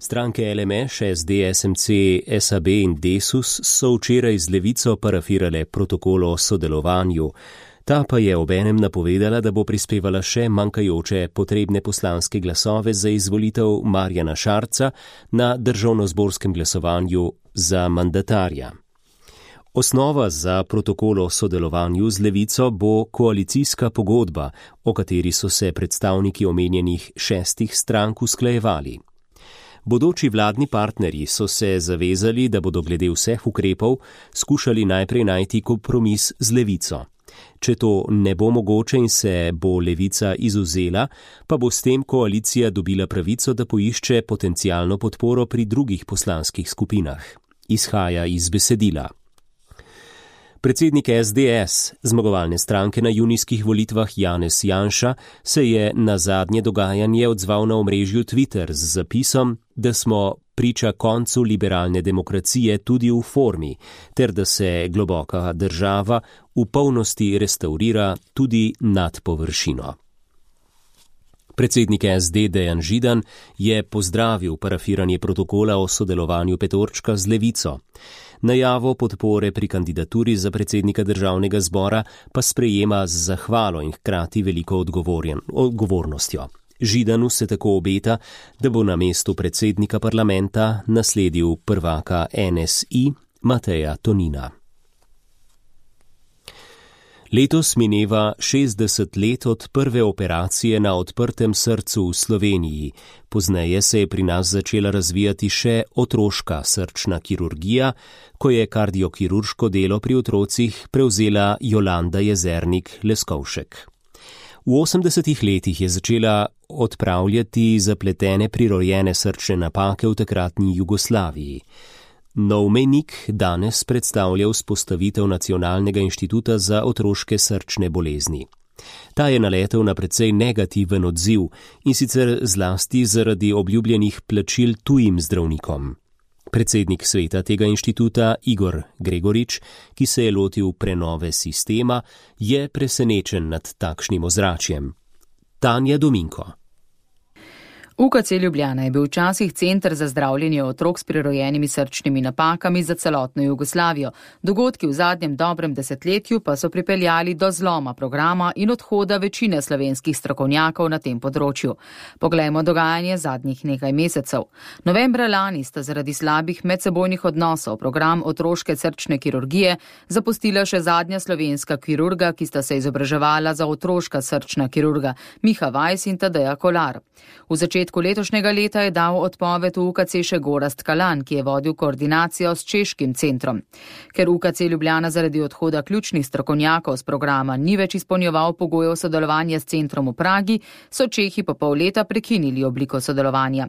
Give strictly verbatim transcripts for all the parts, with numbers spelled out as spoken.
Stranke L M Š, S D, S M C, S A B in Desus so včeraj z Levico parafirale protokol o sodelovanju. Ta pa je obenem napovedala, da bo prispevala še manjkajoče potrebne poslanske glasove za izvolitev Marjana Šarca na državnozborskem glasovanju za mandatarja. Osnova za protokol o sodelovanju z Levico bo koalicijska pogodba, o kateri so se predstavniki omenjenih šestih strank usklajevali. Bodoči vladni partnerji so se zavezali, da bodo glede vseh ukrepov skušali najprej najti kompromis z Levico. Če to ne bo mogoče in se bo Levica izvzela, pa bo s tem koalicija dobila pravico, da poišče potencialno podporo pri drugih poslanskih skupinah. Izhaja iz besedila. Predsednik S D S, zmagovalne stranke na junijskih volitvah Janez Janša, se je na zadnje dogajanje odzval na omrežju Twitter z zapisom, da smo priča koncu liberalne demokracije tudi v formi, ter da se globoka država v polnosti restaurira tudi nad površino. Predsednik S D Dejan Židan je pozdravil parafiranje protokola o sodelovanju petorčka z Levico. Najavo podpore pri kandidaturi za predsednika državnega zbora pa sprejema z zahvalo in hkrati veliko odgovornostjo. Židanu se tako obeta, da bo na mestu predsednika parlamenta nasledil prvaka N S I Mateja Tonina. Letos mineva šestdeset let od prve operacije na odprtem srcu v Sloveniji. Pozneje se je pri nas začela razvijati še otroška srčna kirurgija, ko je kardiokirurško delo pri otrocih prevzela Jolanda Jezernik Leskovšek. V osemdesetih letih je začela odpravljati zapletene prirojene srčne napake v takratni Jugoslaviji. Nov mejnik danes predstavlja vzpostavitev Nacionalnega inštituta za otroške srčne bolezni. Ta je naletel na precej negativen odziv in sicer zlasti zaradi obljubljenih plačil tujim zdravnikom. Predsednik sveta tega inštituta Igor Gregorič, ki se je lotil prenove sistema, je presenečen nad takšnim ozračjem. Tanja Dominko. U K C Ljubljana je bil včasih center za zdravljenje otrok s prirojenimi srčnimi napakami za celotno Jugoslavijo. Dogodki v zadnjem dobrem desetletju pa so pripeljali do zloma programa in odhoda večine slovenskih strokovnjakov na tem področju. Poglejmo dogajanje zadnjih nekaj mesecev. Novembra lani sta zaradi slabih medsebojnih odnosov program otroške srčne kirurgije zapustila še zadnja slovenska kirurga, ki sta se izobraževala za otroška srčna kirurga, Miha Vajs in Tadeja Kolar. V začetku letošnjega leta je dal odpoved v U K C še Gorazd Kalan, ki je vodil koordinacijo s češkim centrom. Ker U K C Ljubljana zaradi odhoda ključnih strokovnjakov z programa ni več izpolnjeval pogojev sodelovanja s centrom v Pragi, so Čehi po pol leta prekinili obliko sodelovanja.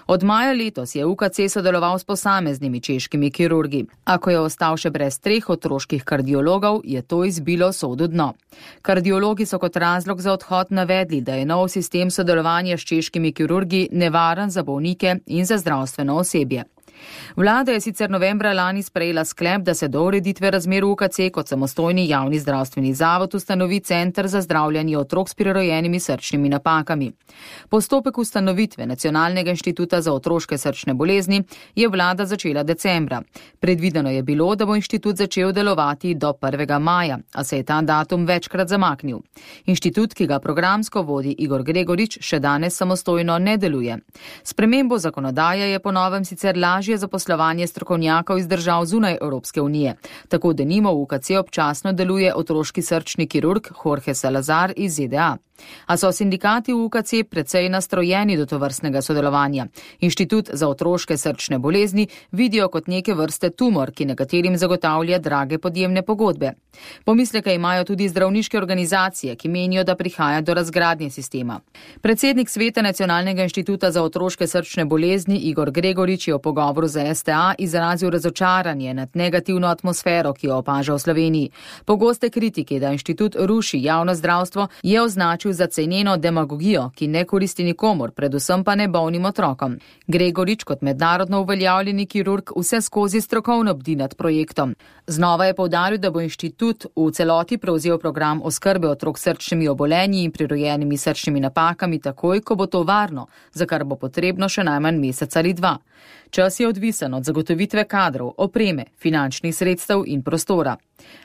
Od maja letos je U K C sodeloval s posameznimi češkimi kirurgi. A ko je ostal še brez treh otroških kardiologov, je to izbilo sodu dno. Kardiologi so kot razlog za odhod navedli, da je nov sistem sodelovanja s češkimi kirurgi nevaren za bolnike in za zdravstveno osebje. Vlada je sicer novembra lani sprejela sklep, da se do ureditve razmer v U K C kot samostojni javni zdravstveni zavod ustanovi Center za zdravljenje otrok s prirojenimi srčnimi napakami. Postopek ustanovitve Nacionalnega inštituta za otroške srčne bolezni je vlada začela decembra. Predvideno je bilo, da bo inštitut začel delovati do prvega maja, a se je ta datum večkrat zamaknil. Inštitut, ki ga programsko vodi Igor Gregorič, še danes samostojno ne deluje. Spremembo zakonodaje je po novem sicer lažje zaposlovanje strokovnjakov iz držav zunaj Evropske unije. Tako denimo v U K C občasno deluje otroški srčni kirurg Jorge Salazar iz Z D A. A so sindikati v U K C precej nastrojeni do tovrstnega sodelovanja. Inštitut za otroške srčne bolezni vidijo kot neke vrste tumor, ki nekaterim zagotavlja drage podjemne pogodbe. Pomisleke imajo tudi zdravniške organizacije, ki menijo, da prihaja do razgradnje sistema. Predsednik sveta Nacionalnega inštituta za otroške srčne bolezni Igor Gregorič je v pogovoru pogovoru za S T A izrazil razočaranje nad negativno atmosfero, ki jo opaža v Sloveniji. Pogoste kritike, da inštitut ruši javno zdravstvo, je označil za ceneno demagogijo, ki ne koristi nikomur, predvsem pa ne bolnim otrokom. Gregorič kot mednarodno uveljavljeni kirurg vse skozi strokovno bdi nad projektom. Znova je poudaril, da bo inštitut v celoti prevzel program oskrbe otrok s srčnimi obolenji in prirojenimi srčnimi napakami takoj, ko bo to varno, za kar bo potrebno še najmanj mesec ali dva. Čas je odvisen od zagotovitve kadrov, opreme, finančnih sredstev in prostora.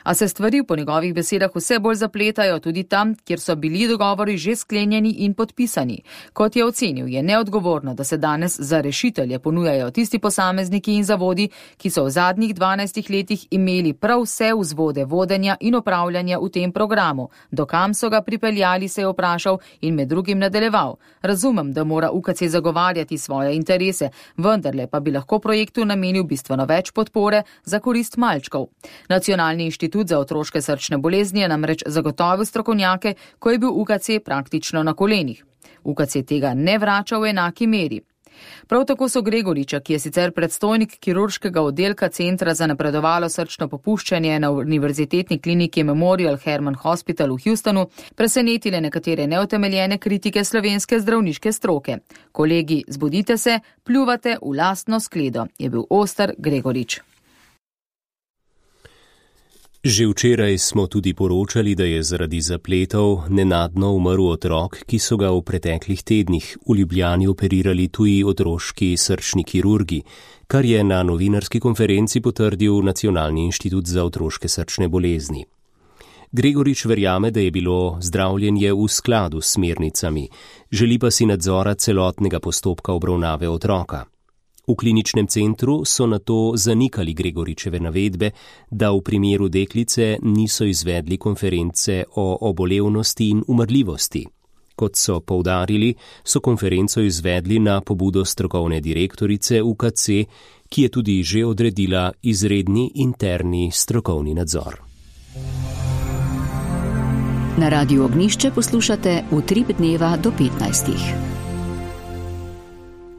A se stvari po njegovih besedah vse bolj zapletajo tudi tam, kjer so bili dogovori že sklenjeni in podpisani. Kot je ocenil, je neodgovorno, da se danes za rešitelje ponujajo tisti posamezniki in zavodi, ki so v zadnjih dvanajstih letih imeli prav vse vzvode vodenja in upravljanja v tem programu. Do kam so ga pripeljali, se je vprašal in med drugim nadaljeval. Razumem, da mora U K C zagovarjati svoje interese, vendarle pa bi lahko projektu namenil bistveno več podpore za korist malčkov. Nacionalni inštitut za otroške srčne bolezni je namreč zagotovil strokovnjake, ko je bil U K C praktično na kolenih. U K C tega ne vrača v enaki meri. Prav tako so Gregoriča, ki je sicer predstojnik kirurškega oddelka Centra za napredovalo srčno popuščanje na Univerzitetni kliniki Memorial Hermann Hospital v Houstonu, presenetile nekatere neutemeljene kritike slovenske zdravniške stroke. Kolegi, zbudite se, pljuvate v lastno skledo, je bil oster Gregorič. Že včeraj smo tudi poročali, da je zaradi zapletov nenadno umrl otrok, ki so ga v preteklih tednih v Ljubljani operirali tuji otroški srčni kirurgi, kar je na novinarski konferenci potrdil Nacionalni inštitut za otroške srčne bolezni. Gregorič verjame, da je bilo zdravljenje v skladu s smernicami, želi pa si nadzora celotnega postopka obravnave otroka. V kliničnem centru so nato zanikali Gregoričeve navedbe, da v primeru deklice niso izvedli konference o obolevnosti in umrljivosti. Kot so poudarili, so konferenco izvedli na pobudo strokovne direktorice U K C, ki je tudi že odredila izredni interni strokovni nadzor. Na Radiu Ognjišče poslušate Utrip dneva do petnajstih.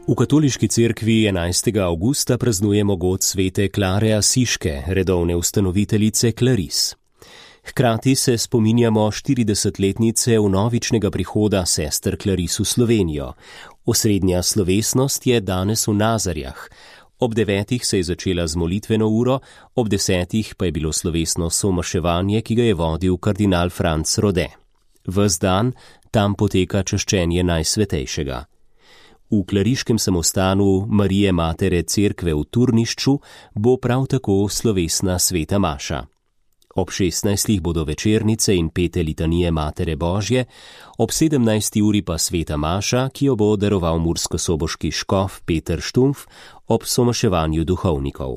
V katoliški cerkvi enajstega avgusta praznujemo god svete Klare Asiške, redovne ustanoviteljice Klaris. Hkrati se spominjamo štiridesetletnice vnovičnega prihoda sester Klaris v Slovenijo. Osrednja slovesnost je danes v Nazarjah. Ob devetih se je začela z molitveno uro, ob desetih pa je bilo slovesno somaševanje, ki ga je vodil kardinal Franc Rode. Ves dan tam poteka čaščenje Najsvetejšega. V klariškem samostanu Marije Matere cerkve v Turnišču bo prav tako slovesna sveta maša. Ob šestnajstih bodo večernice in pete litanije Matere Božje, ob sedemnajsti uri pa sveta maša, ki jo bo daroval murskosoboški škof Peter Štumf ob somaševanju duhovnikov.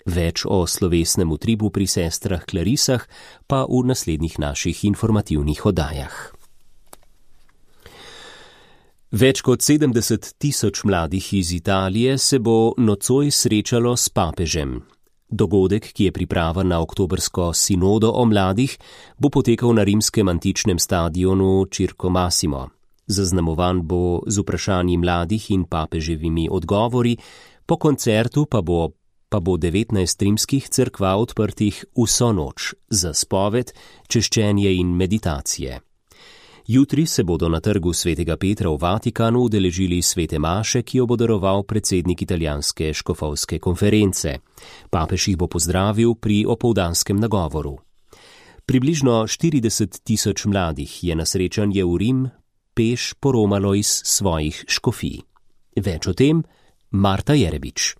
Več o slovesnem utripu pri sestrah Klarisah pa v naslednjih naših informativnih oddajah. Več kot sedemdeset tisoč mladih iz Italije se bo nocoj srečalo s papežem. Dogodek, ki je priprava na oktobrsko sinodo o mladih, bo potekal na rimskem antičnem stadionu Circo Massimo. Zaznamovan bo z vprašanji mladih in papeževimi odgovori, po koncertu pa bo, pa bo devetnajst rimskih cerkva odprtih vso noč za spoved, češčenje in meditacije. Jutri se bodo na trgu svetega Petra v Vatikanu udeležili svete maše, ki jo bo daroval predsednik italijanske škofovske konference. Papež jih bo pozdravil pri opoldanskem nagovoru. Približno štirideset tisoč mladih je na srečanje v Rim peš poromalo iz svojih škofij. Več o tem Marta Jerebič.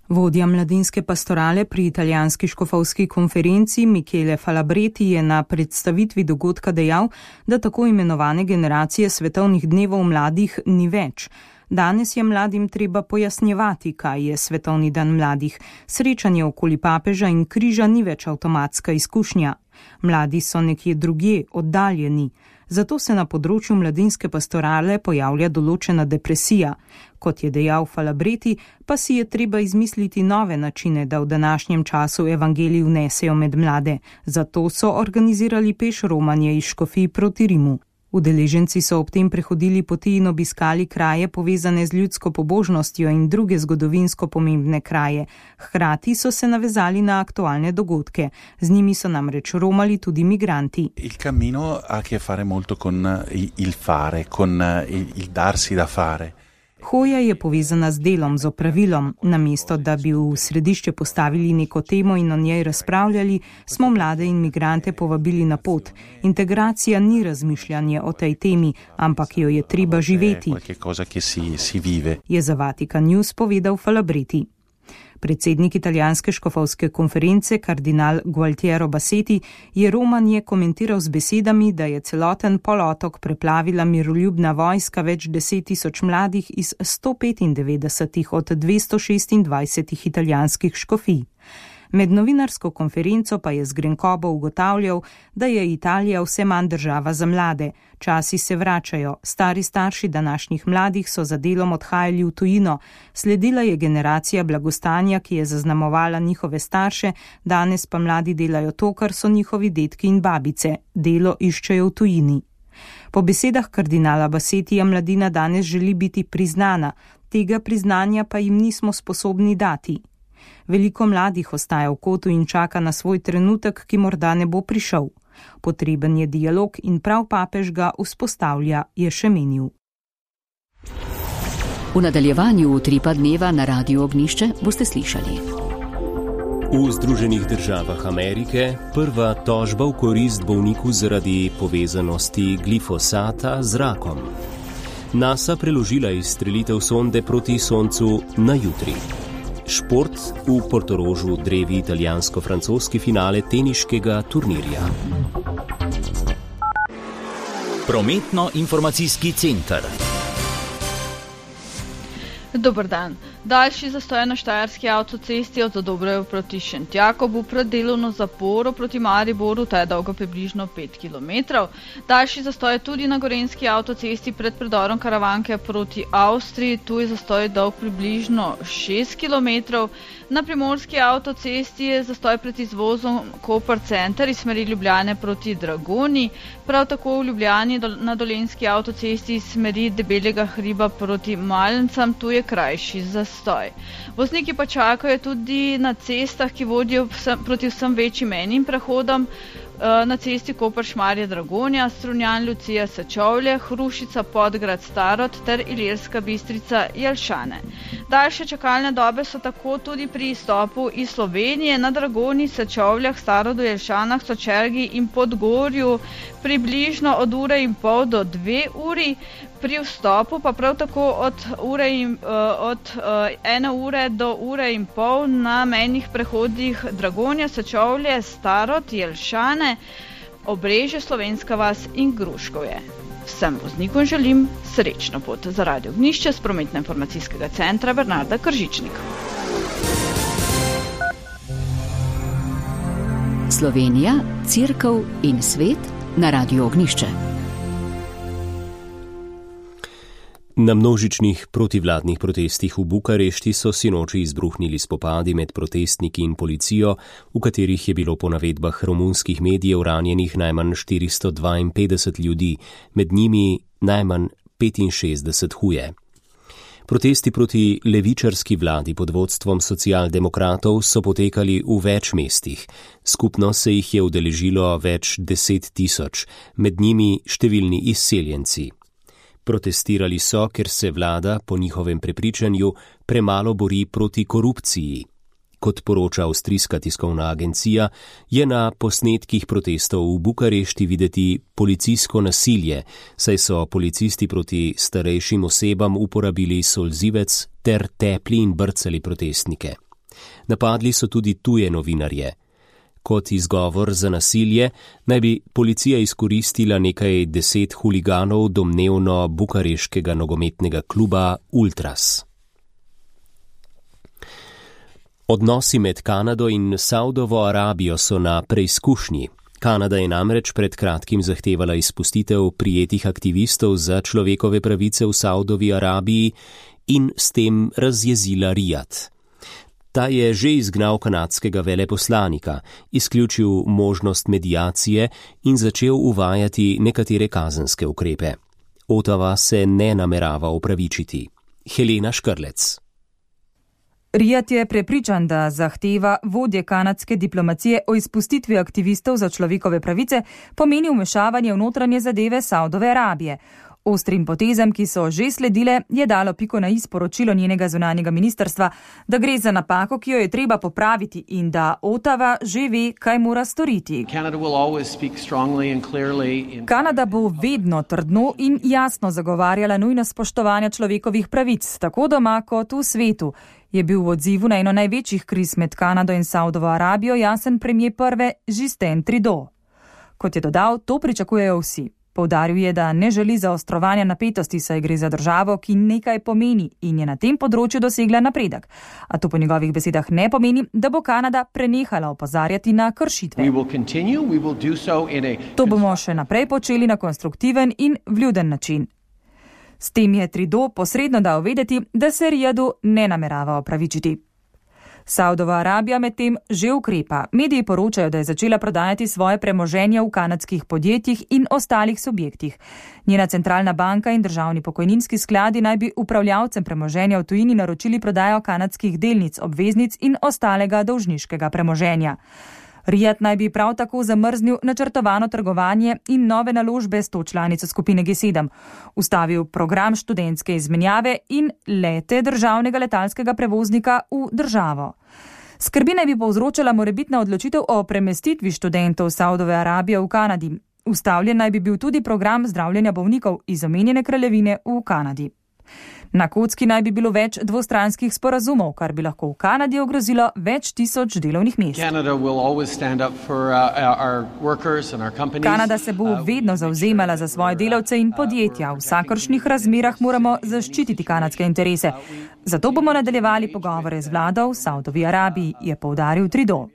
Vodja mladinske pastorale pri italijanski škofovski konferenci Michele Falabreti je na predstavitvi dogodka dejal, da tako imenovane generacije svetovnih dnevov mladih ni več. Danes je mladim treba pojasnjevati, kaj je svetovni dan mladih. Srečanje okoli papeža in križa ni več avtomatska izkušnja. Mladi so nekje drugje, oddaljeni. Zato se na področju mladinske pastorale pojavlja določena depresija. Kot je dejal Falabreti, pa si je treba izmisliti nove načine, da v današnjem času evangelij vnesejo med mlade. Zato so organizirali peš romanje iz škofij proti Rimu. Udeleženci so ob tem prehodili poti in obiskali kraje povezane z ljudsko pobožnostjo in druge zgodovinsko pomembne kraje. Hkrati so se navezali na aktualne dogodke. Z njimi so namreč romali tudi migranti. Il cammino ha a che fare molto con il fare, con il darsi da fare. Hoja je povezana z delom, z opravilom. Namesto, da bi v središče postavili neko temo in o njej razpravljali, smo mlade in migrante povabili na pot. Integracija ni razmišljanje o tej temi, ampak jo je treba živeti, je za Vatikan News povedal Falabreti. Predsednik italijanske škofovske konference, kardinal Gualtiero Bassetti, je romanje komentiral z besedami, da je celoten polotok preplavila miroljubna vojska več deset tisoč mladih iz sto petindevetdeset od dvesto šestindvajset italijanskih škofij. Med novinarsko konferenco pa je z grenkobo ugotavljal, da je Italija vse manj država za mlade. Časi se vračajo, stari starši današnjih mladih so za delom odhajali v tujino, sledila je generacija blagostanja, ki je zaznamovala njihove starše, danes pa mladi delajo to, kar so njihovi dedki in babice, delo iščejo v tujini. Po besedah kardinala Bassettija mladina danes želi biti priznana, tega priznanja pa jim nismo sposobni dati. Veliko mladih ostaja v kotu in čaka na svoj trenutek, ki morda ne bo prišel. Potreben je dialog in prav papež ga vzpostavlja, je še menil. V nadaljevanju Utripa dneva na Radiu Ognišče boste slišali. V Združenih državah Amerike prva tožba v korist bolniku zaradi povezanosti glifosata z rakom. NASA preložila izstrelitev sonde proti Soncu na jutri. Šport, v Portorožu drevi italijansko-francoski finale teniškega turnirja. Prometno-informacijski center. Dober dan. Daljši zastoj na štajerski avtocesti od Zadobrev proti Šentjakobu pred delovno zaporo proti Mariboru, ta je dolga približno pet kilometrov. Daljši zastoj tudi na gorenjski avtocesti pred predorom Karavanke proti Avstriji, tu je zastoj dolg približno šest kilometrov. Na primorski avtocesti je zastoj pred izvozom Koper Center iz smeri Ljubljane proti Dragoni, prav tako v Ljubljani na dolenjski avtocesti iz smeri Debelega hriba proti Malencam, tu je krajši zastoj. Vozniki pa čakajo tudi na cestah, ki vodijo vsem, proti vsem večjim menjim prehodom, na cesti Koper-Šmarje Dragonja, Strunjan Lucija Sečovlje, Hrušica Podgrad Starod ter Ilirska Bistrica Jelšane. Daljše čakalne dobe so tako tudi pri izstopu iz Slovenije na Dragoni, Sečovljah, Starodu, Jelšanah, Sočergi in Podgorju približno od ure in pol do dve uri, pri vstopu pa prav tako od, ure in, od ene ure do ure in pol na mejnih prehodih Dragonja, Sečovlje, Starod, Jelšane, Obrežje, Slovenska vas in Gruškovje. Vsem voznikom želim srečno pot. Za Radio Ognišče z prometno-informacijskega centra Bernarda Kržičnik. Slovenija, Cerkev in svet na Radiu Ognišče. Na množičnih protivladnih protestih v Bukarešti so sinoči izbruhnili spopadi med protestniki in policijo, v katerih je bilo po navedbah romunskih medijev ranjenih najmanj štiristo dvainpetdeset ljudi, med njimi najmanj petinšestdeset huje. Protesti proti levičarski vladi pod vodstvom socialdemokratov so potekali v več mestih. Skupno se jih je udeležilo več deset tisoč, med njimi številni izseljenci. Protestirali so, ker se vlada, po njihovem prepričanju, premalo bori proti korupciji. Kot poroča avstrijska tiskovna agencija, je na posnetkih protestov v Bukarešti videti policijsko nasilje, saj so policisti proti starejšim osebam uporabili solzivec ter tepli in brcali protestnike. Napadli so tudi tuje novinarje. Kot izgovor za nasilje naj bi policija izkoristila nekaj deset huliganov domnevno bukareškega nogometnega kluba Ultras. Odnosi med Kanado in Saudovo Arabijo so na preizkušnji. Kanada je namreč pred kratkim zahtevala izpustitev prijetih aktivistov za človekove pravice v Saudovi Arabiji in s tem razjezila Rijad. Ta je že izgnal kanadskega veleposlanika, izključil možnost mediacije in začel uvajati nekatere kazenske ukrepe. Ottawa se ne namerava opravičiti. Helena Škrlec. Riyad je prepričan, da zahteva vodje kanadske diplomacije o izpustitvi aktivistov za človekove pravice pomeni vmešavanje v notranje zadeve Saudove Arabije. Ostrim potezam, ki so že sledile, je dalo piko na i sporočilo njenega zunanjega ministrstva, da gre za napako, ki jo je treba popraviti in da Ottawa že ve, kaj mora storiti. Kanada bo vedno trdno in jasno zagovarjala nujnost spoštovanja človekovih pravic, tako doma kot v svetu, je bil v odzivu na eno največjih kriz med Kanado in Saudovo Arabijo jasen premier prve Justin Trudeau. Kot je dodal, to pričakujejo vsi. Poudaril je, da ne želi zaostrovanja napetosti, saj gre za državo, ki nekaj pomeni in je na tem področju dosegla napredek. A to po njegovih besedah ne pomeni, da bo Kanada prenehala opozarjati na kršitve. To bomo še naprej počeli na konstruktiven in vljuden način. S tem je Trudeau posredno dal vedeti, da se Riyadu ne namerava opravičiti. Saudova Arabija medtem že ukrepa. Mediji poročajo, da je začela prodajati svoje premoženje v kanadskih podjetjih in ostalih subjektih. Njena centralna banka in državni pokojninski skladi naj bi upravljavcem premoženja v tujini naročili prodajo kanadskih delnic, obveznic in ostalega dolžniškega premoženja. Riyad naj bi prav tako zamrznil načrtovano trgovanje in nove naložbe s to članico skupine G sedem, ustavil program študentske izmenjave in lete državnega letalskega prevoznika v državo. Skrbi naj bi povzročala morebitna odločitev o premestitvi študentov Saudove Arabije v Kanadi. Ustavljen naj bi bil tudi program zdravljenja bolnikov iz omenjene kraljevine v Kanadi. Na kocki naj bi bilo več dvostranskih sporazumov, kar bi lahko v Kanadi ogrozilo več tisoč delovnih mest. Kanada se bo vedno zavzemala za svoje delavce in podjetja. V vsakršnih razmerah moramo zaščititi kanadske interese. Zato bomo nadaljevali pogovore z vlado v Saudovi Arabiji, je poudaril Trudeau.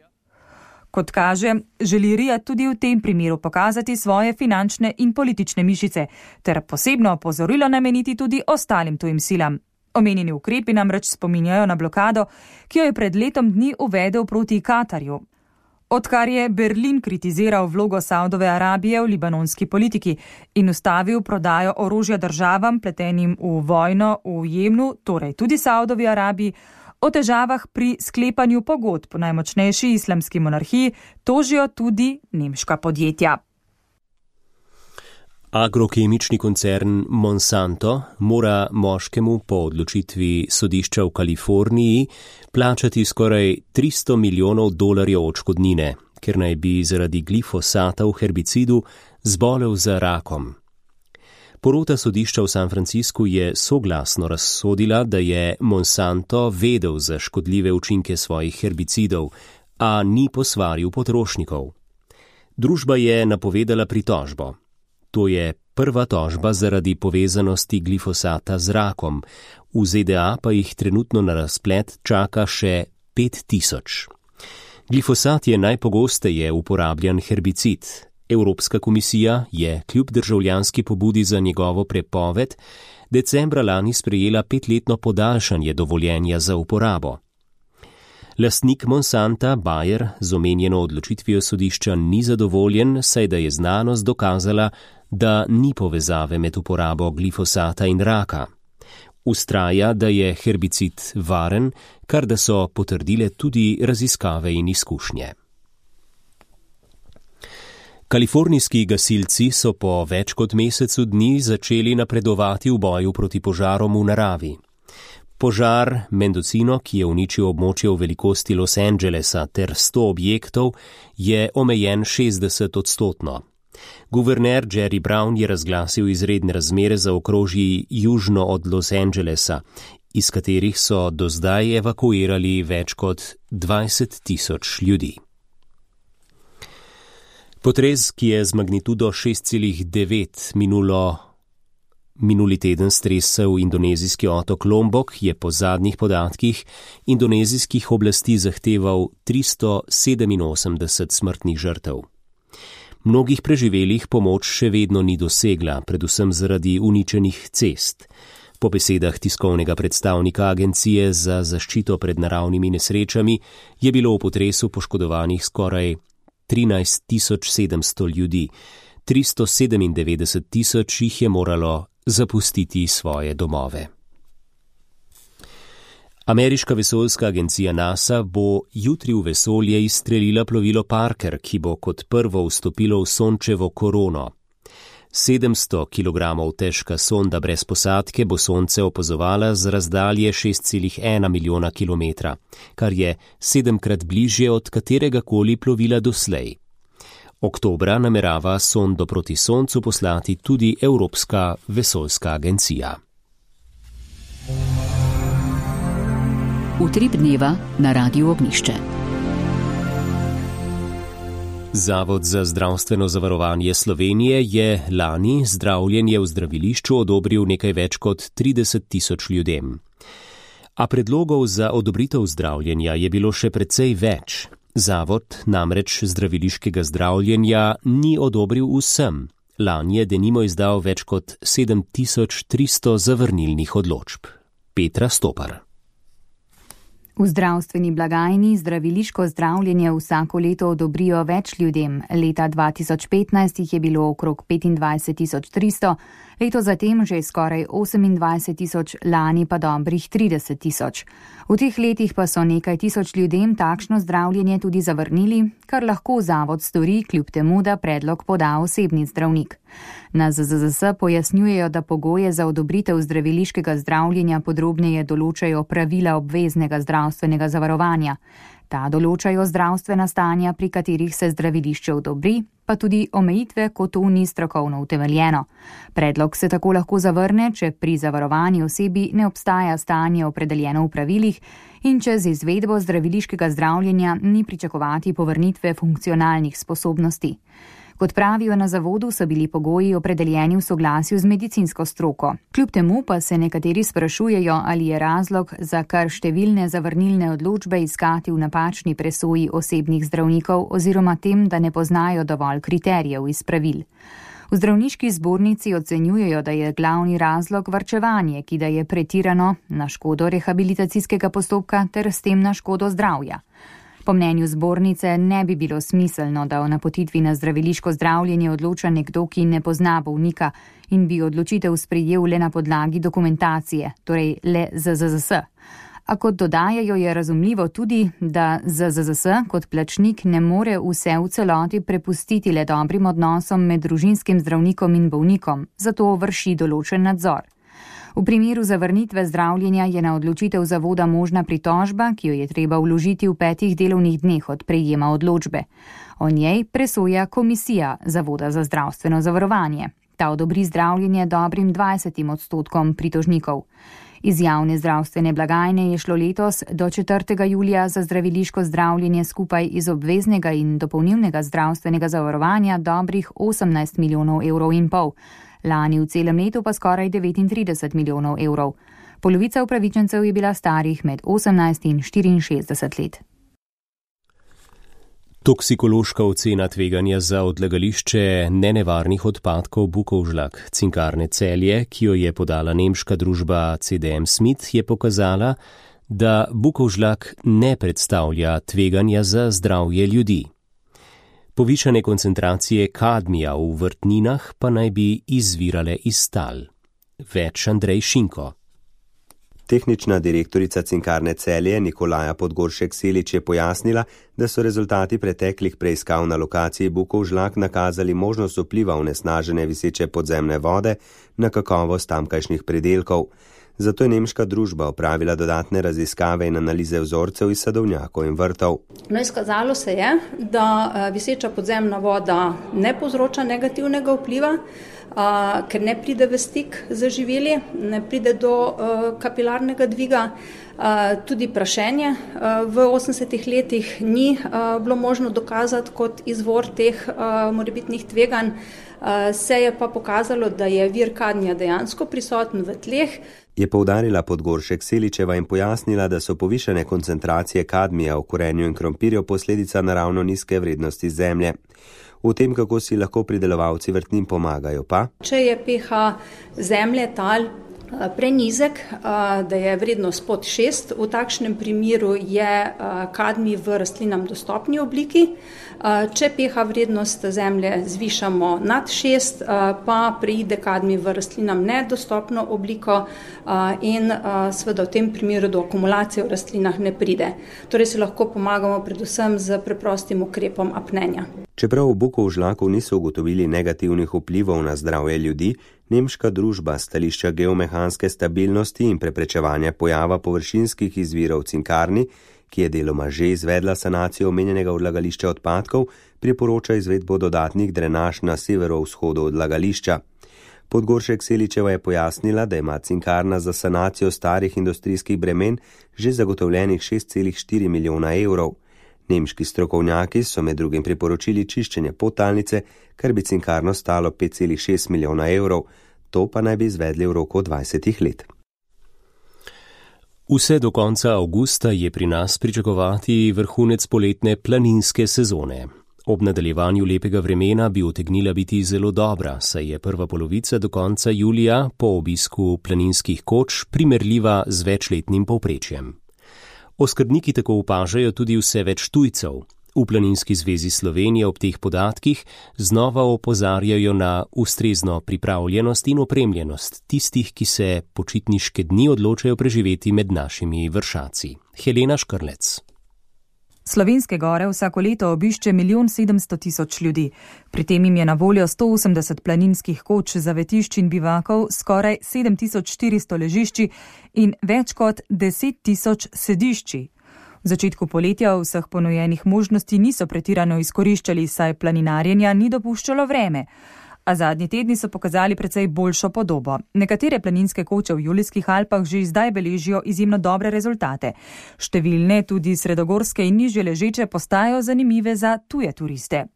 Kot kaže, želi Riyad tudi v tem primeru pokazati svoje finančne in politične mišice, ter posebno opozorilo nameniti tudi ostalim tujim silam. Omenjeni ukrepi namreč spominjajo na blokado, ki jo je pred letom dni uvedel proti Katarju. Odkar je Berlin kritiziral vlogo Saudove Arabije v libanonski politiki in ustavil prodajo orožja državam, pletenim v vojno v Jemnu, torej tudi Saudovi Arabiji, o težavah pri sklepanju pogodb po najmočnejši islamski monarhiji tožijo tudi nemška podjetja. Agrokemični koncern Monsanto mora moškemu po odločitvi sodišča v Kaliforniji plačati skoraj tristo milijonov dolarjev odškodnine, ker naj bi zaradi glifosata v herbicidu zbolel za rakom. Porota sodišča v San Franciscu je soglasno razsodila, da je Monsanto vedel za škodljive učinke svojih herbicidov, a ni posvaril potrošnikov. Družba je napovedala pritožbo. To je prva tožba zaradi povezanosti glifosata z rakom. V Z D A pa jih trenutno na razplet čaka še pet tisoč. Glifosat je najpogosteje uporabljan herbicid. Evropska komisija je kljub državljanski pobudi za njegovo prepoved decembra lani sprejela petletno podaljšanje dovoljenja za uporabo. Lastnik Monsanta, Bayer, z omenjeno odločitvijo sodišča ni zadovoljen, saj da je znanost dokazala, da ni povezave med uporabo glifosata in raka. Ustraja, da je herbicid varen, kar da so potrdile tudi raziskave in izkušnje. Kalifornijski gasilci so po več kot mesecu dni začeli napredovati v boju proti požarom v naravi. Požar Mendocino, ki je uničil območje v velikosti Los Angelesa ter sto objektov, je omejen šestdeset odstotno. Guverner Jerry Brown je razglasil izredne razmere za okrožji južno od Los Angelesa, iz katerih so do zdaj evakuirali več kot dvajset tisoč ljudi. Potres, ki je z magnitudo šest celih devet minulo, minuli teden stresel indonezijski otok Lombok, je po zadnjih podatkih indonezijskih oblasti zahteval tristo sedeminosemdeset smrtnih žrtev. Mnogih preživelih pomoč še vedno ni dosegla, predvsem zaradi uničenih cest. Po besedah tiskovnega predstavnika Agencije za zaščito pred naravnimi nesrečami je bilo v potresu poškodovanih skoraj trinajst tisoč sedemsto ljudi, tristo sedemindevetdeset tisoč jih je moralo zapustiti svoje domove. Ameriška vesoljska agencija NASA bo jutri v vesolje izstrelila plovilo Parker, ki bo kot prvo vstopilo v Sončevo korono. sedemsto kilogramov težka sonda brez posadke bo Sonce opazovala z razdalje šest celih ena milijona kilometra, kar je sedemkrat bližje od kateregakoli plovila doslej. Oktobra namerava sondo proti Soncu poslati tudi Evropska vesoljska agencija. Utrip dneva na Radiu Ognišče. Zavod za zdravstveno zavarovanje Slovenije je lani zdravljenje v zdravilišču odobril nekaj več kot trideset tisoč ljudem. A predlogov za odobritev zdravljenja je bilo še precej več. Zavod namreč zdraviliškega zdravljenja ni odobril vsem. Lani je denimo izdal več kot sedem tisoč tristo zavrnilnih odločb. Petra Stopar. V zdravstveni blagajni zdraviliško zdravljenje vsako leto odobrijo več ljudem. Leta dva tisoč petnajst jih je bilo okrog petindvajset tisoč tristo, leto zatem že skoraj osemindvajset tisoč, lani pa dobrih trideset tisoč. V teh letih pa so nekaj tisoč ljudem takšno zdravljenje tudi zavrnili, kar lahko zavod stori, kljub temu, da predlog poda osebni zdravnik. Na Z Z Z S pojasnjujejo, da pogoje za odobritev zdraviliškega zdravljenja podrobneje določajo pravila obveznega zdravstvenega zavarovanja. Ta določajo zdravstvena stanja, pri katerih se zdravilišče odobri, pa tudi omejitve, ko to ni strokovno utemeljeno. Predlog se tako lahko zavrne, če pri zavarovani osebi ne obstaja stanje opredeljeno v pravilih in če z izvedbo zdraviliškega zdravljenja ni pričakovati povrnitve funkcionalnih sposobnosti. Kot pravijo na zavodu, so bili pogoji opredeljeni v soglasju z medicinsko stroko. Kljub temu pa se nekateri sprašujejo, ali je razlog za kar številne zavrnilne odločbe iskati v napačni presoji osebnih zdravnikov oziroma tem, da ne poznajo dovolj kriterijev iz pravil. V zdravniški zbornici ocenjujejo, da je glavni razlog varčevanje, ki da je pretirano na škodo rehabilitacijskega postopka ter s tem na škodo zdravja. Po mnenju zbornice ne bi bilo smiselno, da o napotitvi na zdraviliško zdravljenje odloča nekdo, ki ne pozna bolnika in bi odločitev sprejel le na podlagi dokumentacije, torej le Z Z Z S. A kot dodajajo, je razumljivo tudi, da Z Z Z S kot plačnik ne more vse v celoti prepustiti le dobrim odnosom med družinskim zdravnikom in bolnikom, zato vrši določen nadzor. V primeru zavrnitve zdravljenja je na odločitev zavoda možna pritožba, ki jo je treba vložiti v petih delovnih dneh od prejema odločbe. O njej presoja komisija Zavoda za zdravstveno zavarovanje. Ta odobri zdravljenje dobrim dvajsetim odstotkom pritožnikov. Iz javne zdravstvene blagajne je šlo letos do četrtega julija za zdraviliško zdravljenje skupaj iz obveznega in dopolnilnega zdravstvenega zavarovanja dobrih osemnajst milijonov evrov in pol. Lani v celem letu pa skoraj devetintrideset milijonov evrov. Polovica upravičencev je bila starih med osemnajst in štiriinšestdeset let. Toksikološka ocena tveganja za odlagališče nenevarnih odpadkov Bukovžlak Cinkarne Celje, ki jo je podala nemška družba C D M Smith, je pokazala, da Bukovžlak ne predstavlja tveganja za zdravje ljudi. Povišane koncentracije kadmija v vrtninah pa naj bi izvirale iz tal. Več Andrej Šinko. Tehnična direktorica Cinkarne Celje Nikolaja Podgoršek-Selič je pojasnila, da so rezultati preteklih preiskav na lokaciji Bukovžlak nakazali možnost vpliva onesnažene viseče podzemne vode na kakovost tamkajšnjih pridelkov. Zato je nemška družba opravila dodatne raziskave in analize vzorcev iz sadovnjakov in vrtov. No, izkazalo se je, da viseča podzemna voda ne povzroča negativnega vpliva, a, ker ne pride v stik z živili, ne pride do a, kapilarnega dviga. A, tudi prašenje a, v osemdesetih letih ni a, bilo možno dokazati kot izvor teh a, morebitnih tveganj. A, se je pa pokazalo, da je vir kadmija dejansko prisoten v tleh. Je poudarila Podgoršek-Seličeva in pojasnila, da so povišane koncentracije kadmija v korenju in krompirju posledica naravno nizke vrednosti zemlje. V tem, kako si lahko pridelovalci vrtnin pomagajo pa? Če je pH zemlje, tal prenizek, da je vrednost pod šest. V takšnem primeru je kadmij v rastlinam dostopni obliki. Če pH vrednost zemlje zvišamo nad šest, pa preide kadmij v rastlinam nedostopno obliko in seveda v tem primeru do akumulacije v rastlinah ne pride. Torej se lahko pomagamo predvsem z preprostim ukrepom apnenja. Čeprav v Bukovžlaku niso ugotovili negativnih vplivov na zdravje ljudi, nemška družba stališča geomehanske stabilnosti in preprečevanja pojava površinskih izvirov Cinkarni, ki je deloma že izvedla sanacijo omenjenega odlagališča odpadkov, priporoča izvedbo dodatnih drenaž na severovzhodu odlagališča. Podgoršek Seličeva je pojasnila, da ima Cinkarna za sanacijo starih industrijskih bremen že zagotovljenih šest celih štiri milijona evrov. Nemški strokovnjaki so med drugim priporočili čiščenje podtalnice, kar bi Cinkarno stalo pet celih šest milijona evrov. To pa naj bi izvedli v roku dvajsetih let. Vse do konca avgusta je pri nas pričakovati vrhunec poletne planinske sezone. Ob nadaljevanju lepega vremena bi utegnila biti zelo dobra, saj je prva polovica do konca julija po obisku planinskih koč primerljiva z večletnim povprečjem. Oskrbniki tako opažajo tudi vse več tujcev. V Planinski zvezi Slovenije ob teh podatkih znova opozarjajo na ustrezno pripravljenost in opremljenost tistih, ki se počitniške dni odločajo preživeti med našimi vršaci. Helena Škrlec. Slovenske gore vsako leto obišče milijon sedemsto tisoč ljudi. Pri tem jim je na voljo sto osemdeset planinskih koč, zavetišč in bivakov, skoraj sedem tisoč štiristo ležišči in več kot deset tisoč sedišči. V začetku poletja vseh ponujenih možnosti niso pretirano izkoriščali, saj planinarjenja ni dopuščalo vreme. A zadnji tedni so pokazali precej boljšo podobo. Nekatere planinske koče v Julijskih Alpah že zdaj beležijo izjemno dobre rezultate. Številne, tudi sredogorske in nižje ležeče, postajajo zanimive za tuje turiste.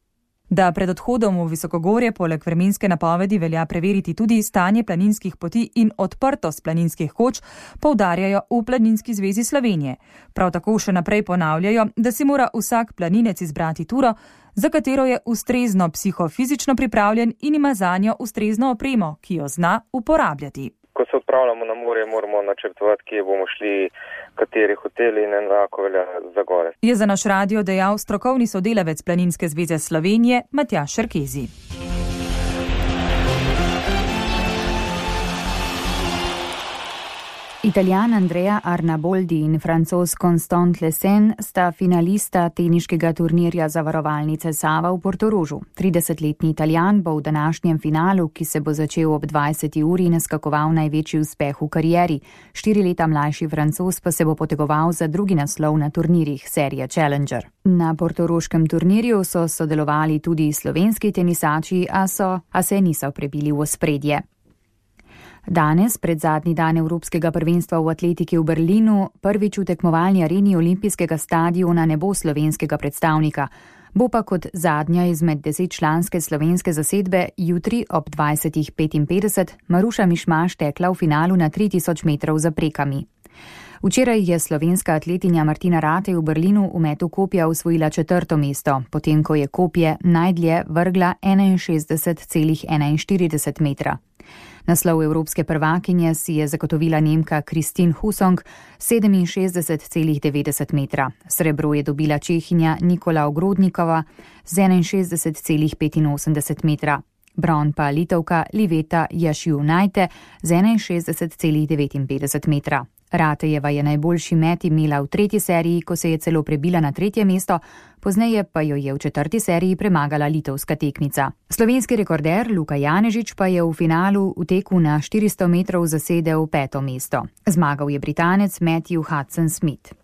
Da pred odhodom v visokogorje poleg vremenske napovedi velja preveriti tudi stanje planinskih poti in odprtost planinskih koč, poudarjajo v Planinski zvezi Slovenije. Prav tako še naprej ponavljajo, da si mora vsak planinec izbrati turo, za katero je ustrezno psihofizično pripravljen in ima zanjo ustrezno opremo, ki jo zna uporabljati. Ko se odpravljamo na morje, moramo načrtovati, kje bomo šli, kateri hoteli in enako velja za gore. Je za naš radio dejal strokovni sodelavec Planinske zveze Slovenije Matjaž Šerkezi. Italijan Andrea Arnaboldi in Francoz Constant Lesen sta finalista teniškega turnirja zavarovalnice Sava v Portorožu. tridesetletni Italijan bo v današnjem finalu, ki se bo začel ob dvajseti uri, naskakoval največji uspeh v karieri. Štiri leta mlajši Francoz pa se bo potegoval za drugi naslov na turnirjih serije Challenger. Na portoroškem turnirju so sodelovali tudi slovenski tenisači, a, so, a se niso prebili v ospredje. Danes, pred zadnji dan Evropskega prvenstva v atletiki v Berlinu, prvič v tekmovalni areni Olimpijskega stadiona ne bo slovenskega predstavnika. Bo pa kot zadnja izmed desetčlanske slovenske zasedbe jutri ob dvajsetih petinpetdeset Maruša Mišmaš tekla v finalu na tri tisoč metrov za prekami. Včeraj je slovenska atletinja Martina Ratej v Berlinu v metu kopja osvojila četrto mesto, potem ko je kopje najdlje vrgla enainšestdeset celih enainštirideset metra. Naslov evropske prvakinje si je zagotovila Nemka Kristin Husong sedeminšestdeset celih devetdeset metra. Srebro je dobila Čehinja Nikola Ogrodnikova z enainšestdeset celih petinosemdeset metra. Bron pa Litovka Liveta Jašjunajte z enainšestdeset celih devetinpetdeset metra. Ratejeva je najboljši met imela v tretji seriji, ko se je celo prebila na tretje mesto, pozneje pa jo je v četrti seriji premagala litovska tekmica. Slovenski rekorder Luka Janežič pa je v finalu v teku na štiristo metrov zasedel peto mesto. Zmagal je Britanec Matthew Hudson-Smith.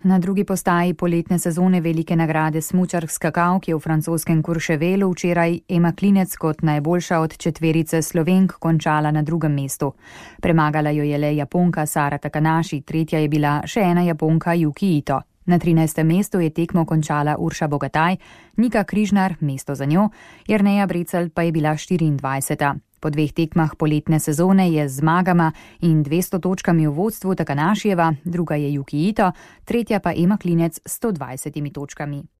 Na drugi postaji poletne sezone velike nagrade smučark skakavk je v francoskem Courchevelu včeraj Ema Klinec kot najboljša od četverice Slovenk končala na drugem mestu. Premagala jo je le Japonka Sara Takanashi, tretja je bila še ena Japonka Yuki Ito. Na trinajstem mestu je tekmo končala Urša Bogataj, Nika Križnar mesto za njo, Jerneja Brecelj pa je bila štiriindvajseta. Po dveh tekmah poletne sezone je z zmagama in dvesto točkami v vodstvu Takanashijeva, druga je Yuki Ito, tretja pa Ema Klinec s sto dvajsetimi točkami.